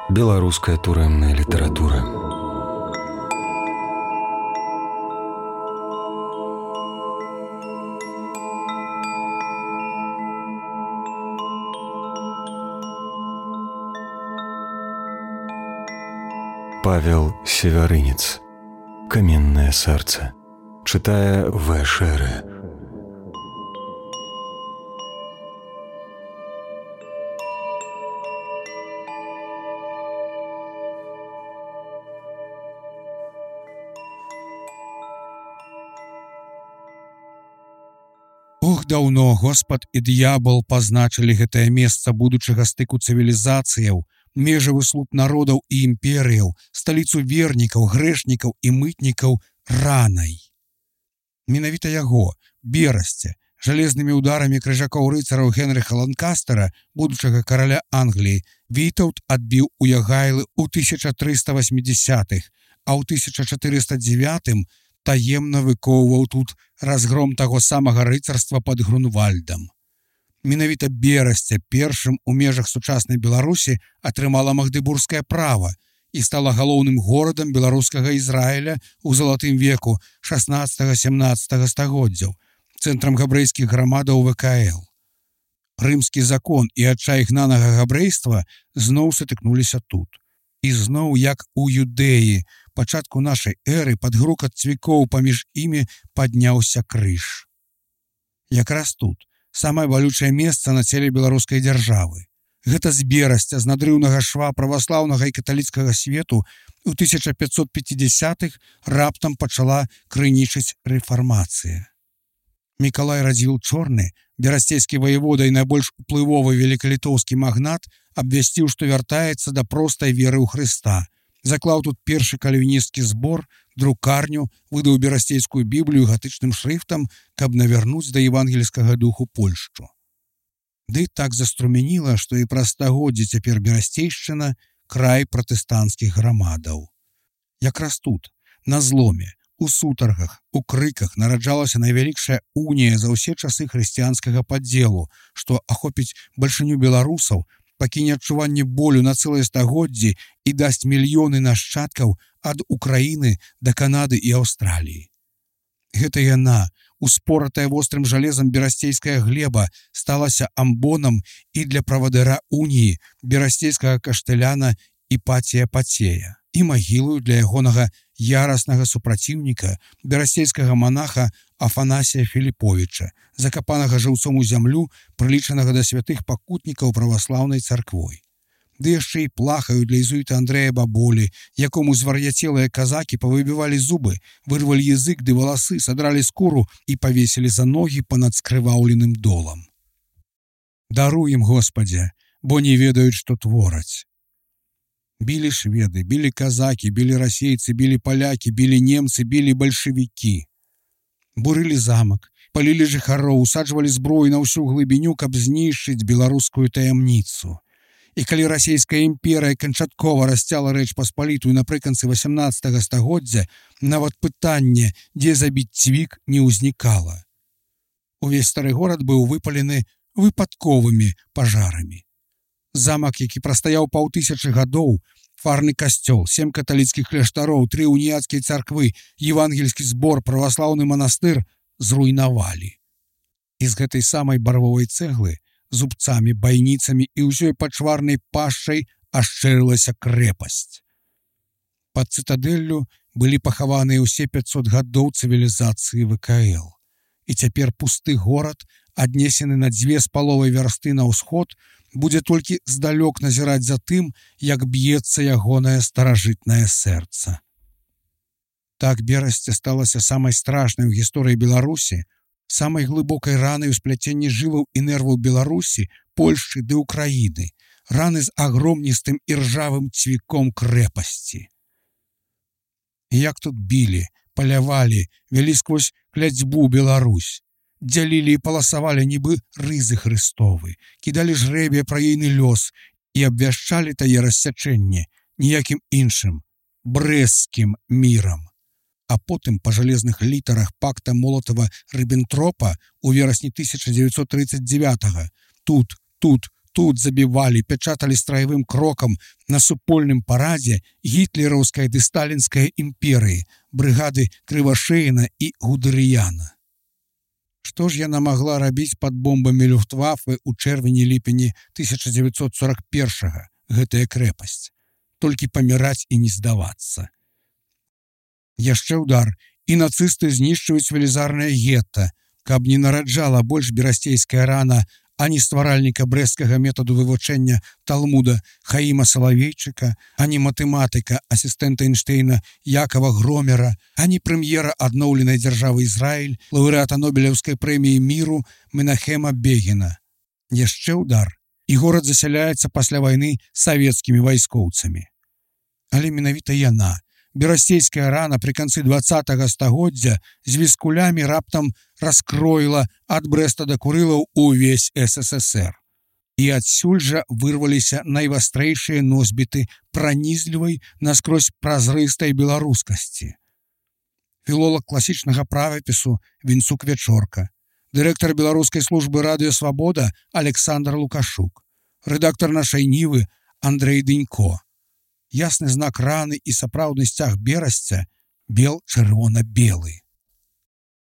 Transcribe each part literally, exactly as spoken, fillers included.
Беларуская турэмная літаратура. Павел Севярынец. Каменное сердце. Читая В. Шере. Ох, даўно Господ і д'ябал пазначылі гэтае месца будучага стыку цывілізацыяў, межавы слуп народаў і імперыяў, сталіцу вернікаў, грэшнікаў і мытнікаў ранай. Менавіта яго, Берасця, жалезнымі ударамі крыжакоў рыцараў Генрыха Ланкастера, будучага караля Англіі, Вітаўт адбіў у Ягайлы ў тысяча трыста васьмідзясятых, а ў тысяча чатырыста дзевятым таемна выкоўваў тут разгром таго самага рыцарства пад Грунвальдам. Менавіта Берасця першым у межах сучаснай Беларусі атрымала магдыбургскае права і стала галоўным горадам беларускага Ізраіля ў залатым веку шаснаццатага-сямнаццатага стагоддзяў, цэнтрам габрэйскіх грамадаў вэ ка эл. Рымскі закон і адчай гнанага габрэйства зноў сутыкнуліся тут. І зноў, як у Юдэі, пачатку нашай эры пад грукат цвікоў паміж імі падняўся крыж. Якраз тут самае балючае месца на целе беларускай дзяржавы. Гэта з Берасця, з надрыўнага шва праваслаўнага і каталіцкага свету ў тысяча пятьсот пятидесятых раптам пачала крынічыць рэфармацыя. Мікалай Радзівіл Чорны, берасцейскі ваявода і найбольш уплывовы велікалітоўскі магнат, абвясціў, што вяртаецца да простай веры ў Хрыста. Заклаў тут першы кальвінісцкі збор, друкарню, выдаў берасцейскую біблію гатычным шрыфтам, каб навярнуць да евангельскага духу Польшчу. Ды так заструменіла, што і праз стагоддзі цяпер Берасцейшчына край пратэстанцкіх грамадаў. Якраз тут, на зломе, у сутаргах, у крыках нараджалася найвялікшая унія за ўсе часы хрысціянскага падзелу, што ахопіць бальшыню беларусаў, пакіне адчуванне болю на цэлыя стагоддзі і дасць мільёны нашчадкаў ад Украіны да Канады і Аўстраліі. Гэта яна, успоратая вострым жалезам берасцейская глеба, сталася амбонам і для правадыра уніі, берасцейскага кашталяна Іпатія Пацея, і магілою для ягонага яраснага супраціўніка, берасцейскага манаха Афанасія Філіповіча, закапанага жыўцом у зямлю, прылічанага да святых пакутнікаў праваслаўнай царквой. Ды яшчэ і плахаю для езуіта Андрэя Баболі, якому звар'яцелыя казакі павыбівалі зубы, вырвалі язык ды валасы, садралі скуру і павесілі за ногі панад скрываўленым долам. Даруй ім, Господзе, бо не ведаюць, што твораць. Білі шведы, білі казакі, білі расейцы, білі палякі, білі немцы, білі бальшавікі. Бурылі замак, палілі жыхароў, усаджвалі зброю на ўсю глыбіню, каб знішчыць беларускую таямніцу. І калі расійская імперыя канчаткова расцяла Рэч Паспалітую напрыканцы васямнаццатага стагоддзя, нават пытанне, дзе забіць цвік, не ўзнікала. Увесь стары горад быў выпалены выпадковымі пажарамі. Замак, які прастаяў паўтысячы гадоў, фарны касцёл, сем каталіцкіх кляштароў, тры уніяцкія царквы, евангельскі збор, праваслаўны манастыр зруйнавалі. І з гэтай самай барвовай цэглы, зубцамі, байніцамі і ўсёй пачварнай пашчай ашчэрылася крэпасць. Пад цытадэллю былі пахаваныя ўсе пяцьсот гадоў цывілізацыі вэ ка эл. І цяпер пусты горад, аднесены на дзве з паловай вярсты на ўсход, будзе толькі здалёк назіраць за тым, як б'ецца ягонае старажытнае сэрца. Так Берасця сталася самай страшнай у гісторыі Беларусі, самай глыбокай ранай у спляценні жылаў і нерваў Беларусі, Польшчы ды Украіны, раны з агромністым і ржавым цвіком крэпасці. І як тут білі, палявалі, вялі сквозь кляцьбу Беларусь, дзялілі і паласавалі нібы рызы Хрыстовы, кідалі жрэбе пра ейны лёс і абвяшчалі тае рассячэнне ніякім іншым, брэсцкім мірам. А потым па жалезных літарах пакта Молатава-Рыббентропа ў верасні тысяча дзевяцьсот трыццаць дзевятага тут, тут, тут забівалі, пячаталі страевым крокам на супольным парадзе гітлераўскай ды сталінскай імперыі, брыгады Крывашеіна і Гудырыяна. Што ж яна магла рабіць пад бомбамі Люфтваффе ў чэрвені-ліпені тысяча дзевяцьсот сорок першага, гэтая крэпасць? Толькі паміраць і не здавацца. Яшчэ ўдар, і нацысты знішчваюць велізарнае гетта, каб не нараджала больш берасцейская рана ані стваральніка брэсцкага метаду вывучэння Талмуда Хаіма Салавейчыка, ані матэматыка асістэнта Эйнштэйна Якова Громера, ані прэм'ера адноўленай дзяржавы Ізраіль, лаўрэата Нобелеўскай прэміі міру Менахема Бегіна. Яшчэ ўдар, і горад засяляецца пасля вайны савецкімі вайскоўцамі. Але менавіта яна, берасцейская рана пры канцы дваццатага стагоддзя з віскулямі раптам раскроіла ад Брэста да Курылаў увесь эс эс эс эр. І адсюль жа вырваліся найвастрэйшыя носьбіты пранізлівай наскрозь празрыстай беларускасці. Філолог класічнага правапісу Вінцук Вячорка, дырэктар беларускай службы радыё «Свабода» Александр Лукашук, рэдактар нашай Нівы Андрэй Дынько. Ясны знак раны і сапраўдны сцяг берасця бел чырвона-белы.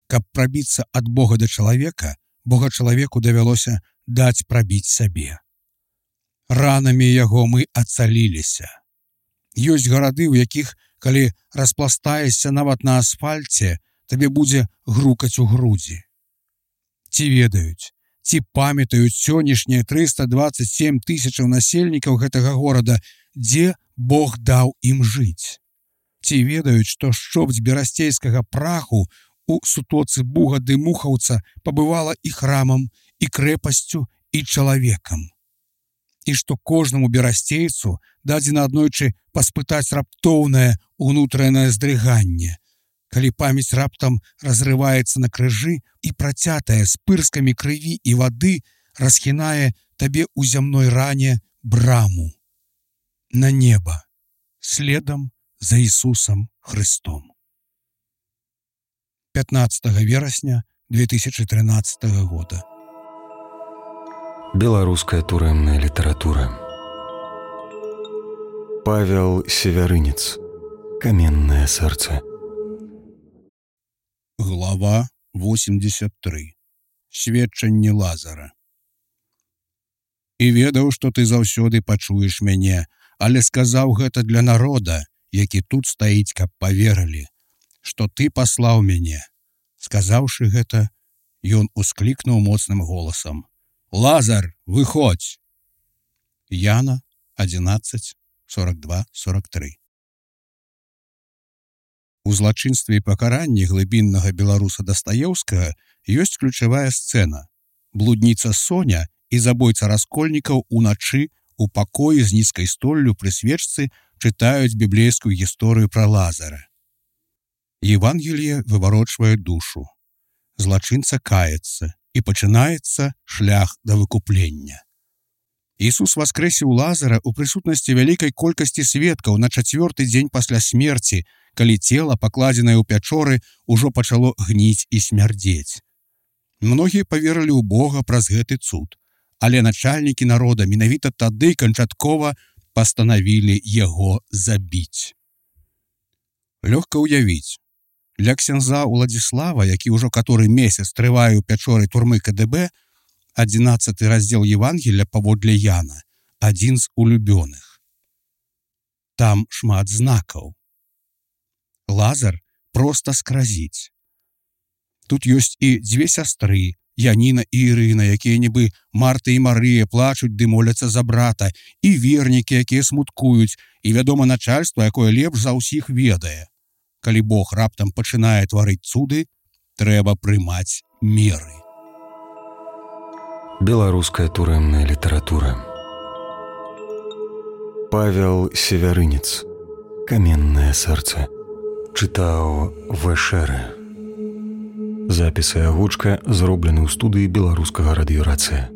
Каб прабіцца ад Бога да чалавека, Бога чалавеку давялося даць прабіць сабе. Ранамі яго мы ацаліліся. Ёсць гарады, у якіх, калі распластаешся нават на асфальце, табе будзе грукаць у грудзі. Ці ведаюць, ці памятаюць сённяшнія трыста дваццаць сем тысячаў насельнікаў гэтага горада, дзе Бог даў ім жыць. Ці ведаюць, што шчопць берасцейскага праху у сутоцы Буга ды Мухаўца пабывала і храмам, і крэпасцю, і чалавекам. І што кожнаму берасцейцу дадзена аднойчы паспытаць раптоўнае ўнутранае здрыганне, калі памяць раптам разрываецца на крыжы і працятая з пырскамі крыві і вады расхінае табе ў зямной ране браму на неба, следам за Ісусам Христом. пятнадцатага верасня две тысячи тринадцатого года. Беларуская турэмная літаратура. Павел Севярынец. Каменное сэрца. Глава восемьдесят три. Сведчанне Лазара. І ведаў, што ты заўсёды пачуеш мяне, але сказаў гэта для народа, які тут стаіць, каб паверылі, што ты паслаў мяне. Сказаўшы гэта, ён усклікнуў моцным голасам: «Лазар, выходзь!» Яна одиннадцать сорок два сорок три. У злачынстве і пакаранні глыбіннага беларуса Дастаеўскага ёсць ключавая сцэна. Блудніца Соня і забойца раскольнікаў уначы у пакоі з нізкай столлю пры свечцы чытаюць біблейскую гісторыю пра Лазара. Евангелие выварочвае душу. Злачынца каецца, і пачынаецца шлях да выкуплення. Ісус воскрэсіў Лазара ў прысутнасці вялікай колькасці сведкаў на чацвёрты дзень пасля смерці, калі цела, пакладзенае ў пячоры, ужо пачало гніць і смярдзець. Многія паверылі ў Бога праз гэты цуд, але начальнікі народа менавіта тады канчаткова пастанавілі яго забіць. Лёгка ўявіць, для ксяндза Уладзіслава, які ўжо каторы месяц трывае ў пячоры турмы ка дэ бэ, адзінаццаты раздзел Евангелля паводле Яна, адзін з улюбёных. Там шмат знакаў. Лазар проста скразіць. Тут ёсць і дзве сястры, Яніна і Ірына, якія нібы Марта і Марыя плачуць ды моляцца за брата, і вернікі, якія смуткуюць, і вядома начальства, якое лепш за ўсіх ведае. Калі Бог раптам пачынае тварыць цуды, трэба прымаць меры. Беларуская турэмная літаратура. Павел Севярынец. Каменное сэрца. Чытаў Вэшэрэ. Запіс і агучка зроблены ў студыі беларускага радыёрацыя.